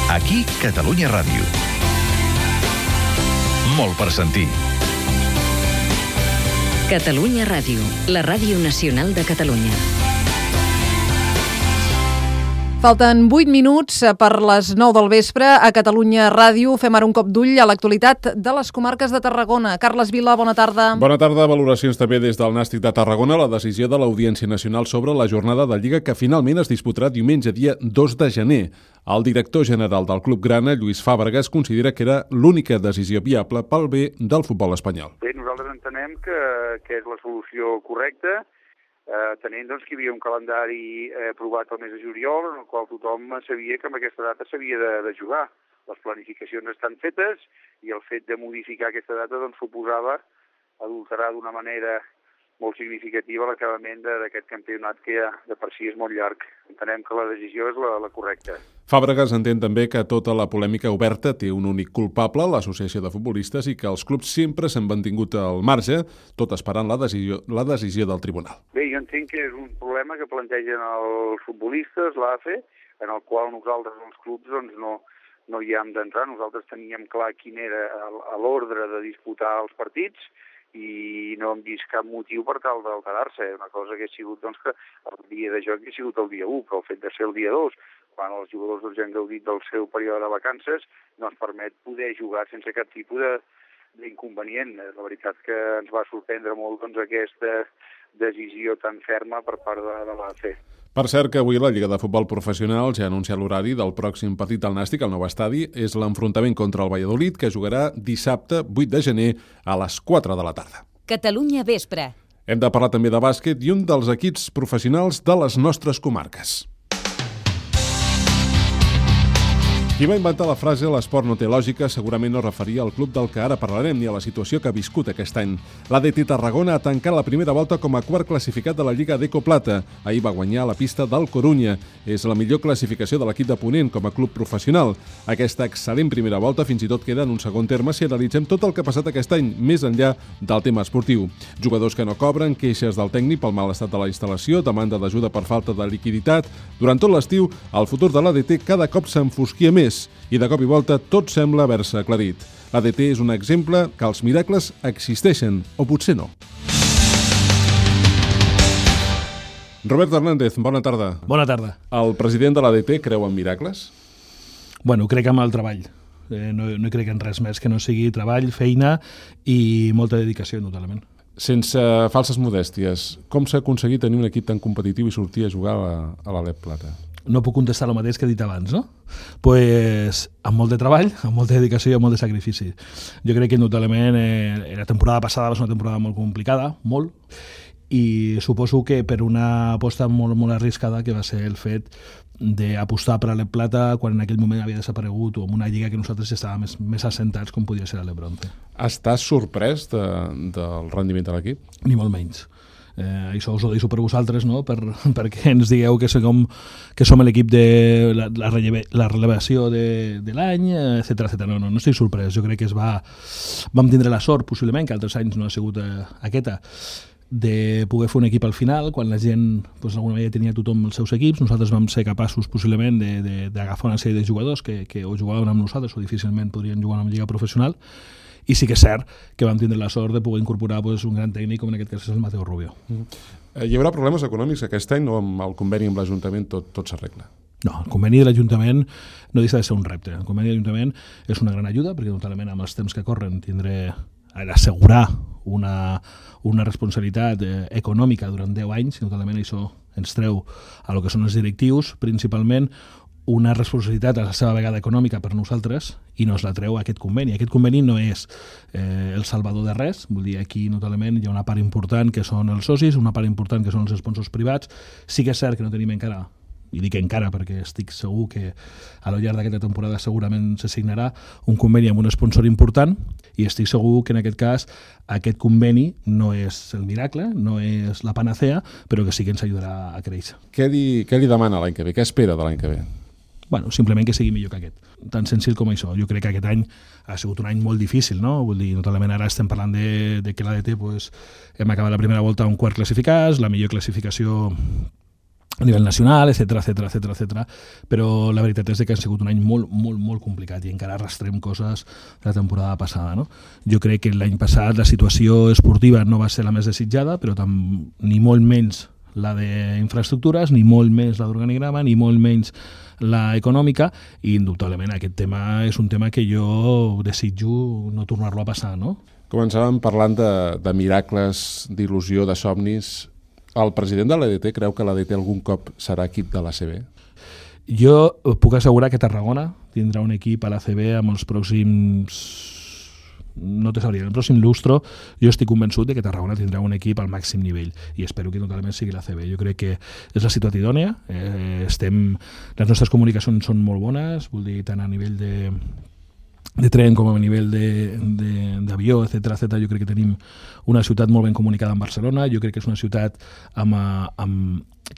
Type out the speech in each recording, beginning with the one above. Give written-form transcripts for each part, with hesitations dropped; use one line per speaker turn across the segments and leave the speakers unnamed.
Aquí, Catalunya Ràdio. Molt per sentir.
Catalunya Ràdio, la ràdio nacional de Catalunya.
Falten 8 minuts per les 9 del vespre. A Catalunya Ràdio fem ara un cop d'ull a l'actualitat de les comarques de Tarragona. Carles Vila, bona tarda.
Bona tarda. Valoracions també des del Nàstic de Tarragona. La decisió de l'Audiència Nacional sobre la jornada de Lliga que finalment es disputarà diumenge dia 2 de gener. El director general del Club Grana, Lluís Fàbregas, considera que era l'única decisió viable pel bé del futbol espanyol.
Bé, nosaltres entenem que és la solució correcta, tenint que hi havia un calendari aprovat el mes de juliol, en el qual tothom sabia que amb aquesta data s'havia de jugar. Les planificacions estan fetes i el fet de modificar aquesta data suposava adulterar d'una manera molt significativa l'acabament d'aquest campionat que ja de per si és molt llarg. Entenem que la decisió és la correcta.
Fàbregas entén també que tota la polèmica oberta té un únic culpable, l'associació de futbolistes, i que els clubs sempre s'han mantingut al marge, tot esperant la decisió del tribunal.
Bé, jo entenc que és un problema que plantegen els futbolistes, l'AFE, en el qual nosaltres, els clubs, no hi hem d'entrar. Nosaltres teníem clar quin era l'ordre de disputar els partits i no hem vist cap motiu per tal d'alterar-se. Una cosa que ha sigut que el dia de joc ha sigut el dia 1, però el fet de ser el dia 2, quan els jugadors ja han gaudit del seu període de vacances, no ens permet poder jugar sense cap tipus d'inconvenient. La veritat que ens va sorprendre molt aquesta decisió tan ferma per part de l'AFE.
Per cert que avui la Lliga de Futbol Professional ja ha anunciat l'horari del pròxim partit del Nàstic al nou estadi. És l'enfrontament contra el Valladolid, que jugarà dissabte 8 de gener a les 4 de la tarda.
Catalunya Vespre.
Hem de parlar també de bàsquet i un dels equips professionals de les nostres comarques. Qui va inventar la frase «l'esport no té lògica» segurament no referia al club del que ara parlarem ni a la situació que ha viscut aquest any. L'ADT Tarragona ha tancat la primera volta com a quart classificat de la Lliga d'Eco Plata. Ahir va guanyar la pista del Corunya. És la millor classificació de l'equip de Ponent com a club professional. Aquesta excel·lent primera volta fins i tot queda en un segon terme si analitzem tot el que ha passat aquest any, més enllà del tema esportiu. Jugadors que no cobren, queixes del tècnic pel mal estat de la instal·lació, demanda d'ajuda per falta de liquiditat. Durant tot l'estiu, el futur de l'ADT cada cop s'enfosquia més i de cop i volta tot sembla haver-se aclarit. L'ADT és un exemple que els miracles existeixen, o potser no. Robert Hernández, bona tarda.
Bona tarda.
El president de l'ADT creu en miracles?
Bueno, crec en el treball. No crec en res més que no sigui treball, feina i molta dedicació, notablement.
Sense falses modèsties, com s'ha aconseguit tenir un equip tan competitiu i sortir a jugar a l'Alep Plata?
No puc contestar el mateix que he dit abans, no? Pues amb molt de treball, amb molta dedicació i amb molt de sacrifici. Jo crec que notablement la temporada passada va ser una temporada molt complicada, molt, i suposo que per una aposta molt, molt arriscada que va ser el fet d'apostar per l'Alep Plata quan en aquell moment havia desaparegut o en una lliga que nosaltres estàvem més assentats com podia ser l'Alep Bronze.
Estàs sorprès del rendiment de l'equip?
Ni molt menys. Això us ho deixo per vosaltres, no? Perquè ens digueu que som l'equip de la relevació de l'any, etc. No estic sorprès. Jo crec que vam tindre la sort, possiblement, que altres anys no ha sigut aquesta, de poder fer un equip al final, quan la gent d'alguna manera tenia tothom els seus equips. Nosaltres vam ser capaços, possiblement, d'agafar una sèrie de jugadors que o jugaven amb nosaltres o difícilment podrien jugar en una lliga professional. I sí que és cert que vam tindre la sort de poder incorporar un gran tècnic, com en aquest cas és el Mateo Rubio.
Hi haurà problemes econòmics aquest any o amb el conveni amb l'Ajuntament tot s'arregla?
No, el conveni de l'Ajuntament no deixa de ser un repte. El conveni de l'Ajuntament és una gran ajuda, perquè notablement amb els temps que corren tindré d'assegurar una responsabilitat econòmica durant 10 anys, i notablement això ens treu a lo que són els directius, principalment una responsabilitat a la seva vegada econòmica per nosaltres i no es la treu aquest conveni. Aquest conveni no és el salvador de res, vull dir, aquí notablement hi ha una part important que són els socis, una part important que són els sponsors privats. Sí que és cert que no tenim encara, i dic encara perquè estic segur que a lo llarg d'aquesta temporada segurament se signarà un conveni amb un sponsor important, i estic segur que en aquest cas aquest conveni no és el miracle, no és la panacea, però que sí que ens ajudarà a créixer.
Què li demana l'any que ve? Què espera de l'any que ve?
Bueno, simplement que sigui millor que aquest. Tan senzill com això. Jo crec que aquest any ha sigut un any molt difícil, no? Vull dir, notablement ara estem parlant de que l'ADT hem acabat la primera volta un quart classificats, la millor classificació a nivell nacional, etcètera, però la veritat és que ha sigut un any molt complicat i encara arrastrem coses de la temporada passada, no? Jo crec que l'any passat la situació esportiva no va ser la més desitjada, però ni molt menys la d'infraestructures, ni molt menys la d'organigrama, ni molt menys la econòmica, i indubtablement aquest tema és un tema que jo desitjo no tornar-lo a passar, no?
Començàvem parlant de miracles, d'il·lusió, de somnis. El president de l'ADT creu que l'ADT algun cop serà equip de l'ACB?
Jo puc assegurar que Tarragona tindrà un equip a l'ACB amb els pròxims... no te sabria, el pròxim lustro jo estic convençut de que Tarragona tindrà un equip al màxim nivell i espero que totalment sigui l'ACB. Jo crec que és la ciutat idònia, les nostres comunicacions són molt bones, vull dir, tant a nivell de tren com a nivell d'avió, etcètera. Jo crec que tenim una ciutat molt ben comunicada amb Barcelona, jo crec que és una ciutat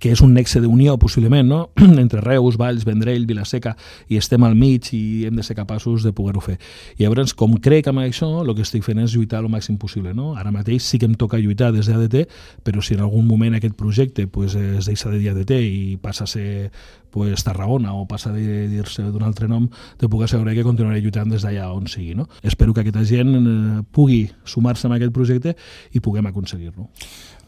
que és un nexe d'unió, possiblement, no? Entre Reus, Valls, Vendrell, Vila-seca, i estem al mig i hem de ser capaços de poder-ho fer. I llavors, com crec amb això, el que estic fent és lluitar el màxim possible, no? Ara mateix sí que em toca lluitar des d'ADT, però si en algun moment aquest projecte es deixa de dir ADT i passa a ser Tarragona o passa a dir-se d'un altre nom, te puc assegurar que continuaré lluitant des d'allà on sigui, no? Espero que aquesta gent pugui sumar-se a aquest projecte i puguem aconseguir-lo.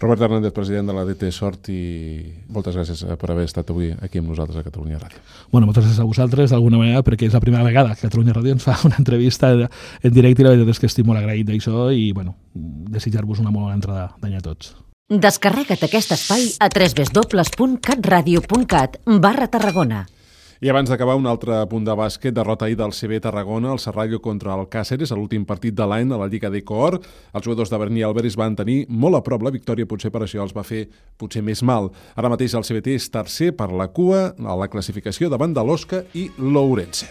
Robert Hernández, president de l'ADT, sort i moltes gràcies per haver estat avui aquí amb nosaltres a Catalunya Ràdio.
Bueno, moltes gràcies a vosaltres, d'alguna manera, perquè és la primera vegada que Catalunya Ràdio ens fa una entrevista en directe i la veritat és que estic molt agraït d'això i, bueno, desitjar-vos una molt bona entrada d'any a tots.
Descarrega't aquest espai a www.catradio.cat/Tarragona.
I abans d'acabar, un altre punt de bàsquet, derrota ahir del CB Tarragona, el Serrallo contra el Càceres, a l'últim partit de l'any a la Lliga d'Ecoor. Els jugadors de Berni i Alberis van tenir molt a prop la victòria, potser per això els va fer potser més mal. Ara mateix el CBT és tercer per la cua a la classificació davant de l'Osca i l'Ourense.